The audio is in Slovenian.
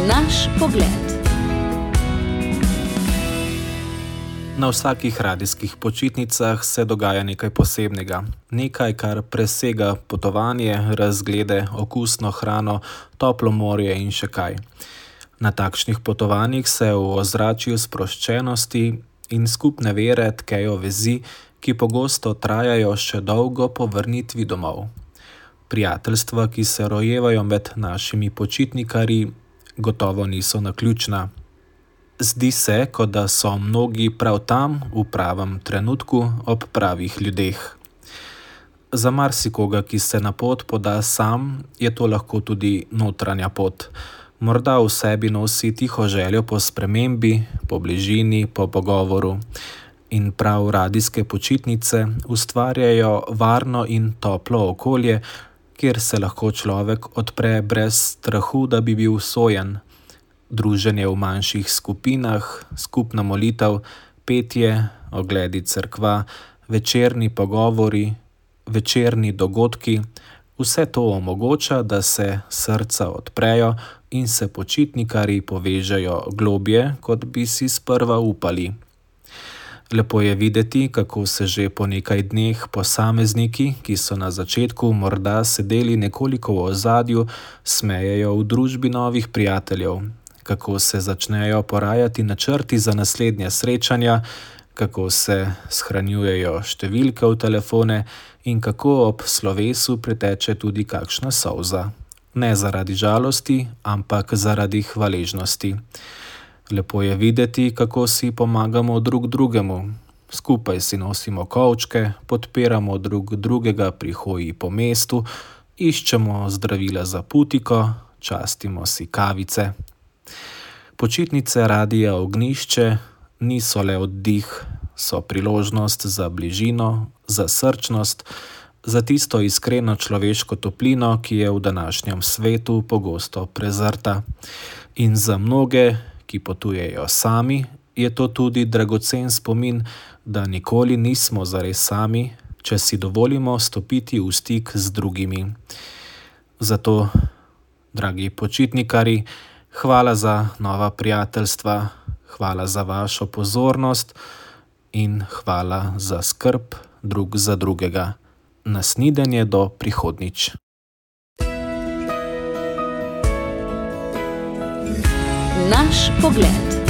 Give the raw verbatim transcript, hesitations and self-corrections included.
Naš pogled. Na vsakih radijskih počitnicah se dogaja nekaj posebnega. Nekaj, kar presega potovanje, razglede, okusno hrano, toplo morje in še kaj. Na takšnih potovanjih se v ozračju sproščenosti in skupne vere tkejo vezi, ki pogosto trajajo še dolgo po vrnitvi domov. Prijateljstva, ki se rojevajo med našimi počitnikarji, gotovo niso naključna. Zdi se, kot da so mnogi prav tam, v pravem trenutku, ob pravih ljudeh. Za marsikoga, ki se na pot poda sam, je to lahko tudi notranja pot. Morda v sebi nosi tiho željo po spremembi, po bližini, po pogovoru. In prav radijske počitnice ustvarjajo varno in toplo okolje, kjer se lahko človek odpre brez strahu, da bi bil sojen. Druženje v manjših skupinah, skupna molitev, petje, ogledi cerkva, večerni pogovori, večerni dogodki, vse to omogoča, da se srca odprejo in se počitnikarji povežejo globje, kot bi si sprva upali. Lepo je videti, kako se že po nekaj dneh posamezniki, ki so na začetku morda sedeli nekoliko v ozadju, smejejo v družbi novih prijateljev, kako se začnejo porajati načrti za naslednja srečanja, kako se shranjujejo številke v telefone in kako ob slovesu preteče tudi kakšna solza. Ne zaradi žalosti, ampak zaradi hvaležnosti. Lepo je videti, kako si pomagamo drug drugemu. Skupaj si nosimo kovčke, podpiramo drug drugega pri hoji po mestu, iščemo zdravila za putiko, častimo si kavice. Počitnice Radia Ognjišče niso le oddih, so priložnost za bližino, za srčnost, za tisto iskreno človeško toplino, ki je v današnjem svetu pogosto prezrta. In za mnoge, ki potujejo sami, je to tudi dragocen spomin, da nikoli nismo zares sami, če si dovolimo stopiti v stik z drugimi. Zato, dragi počitnikarji, hvala za nova prijateljstva, hvala za vašo pozornost in hvala za skrb drug za drugega. Nasnidenje do prihodnjič. Naš pogled.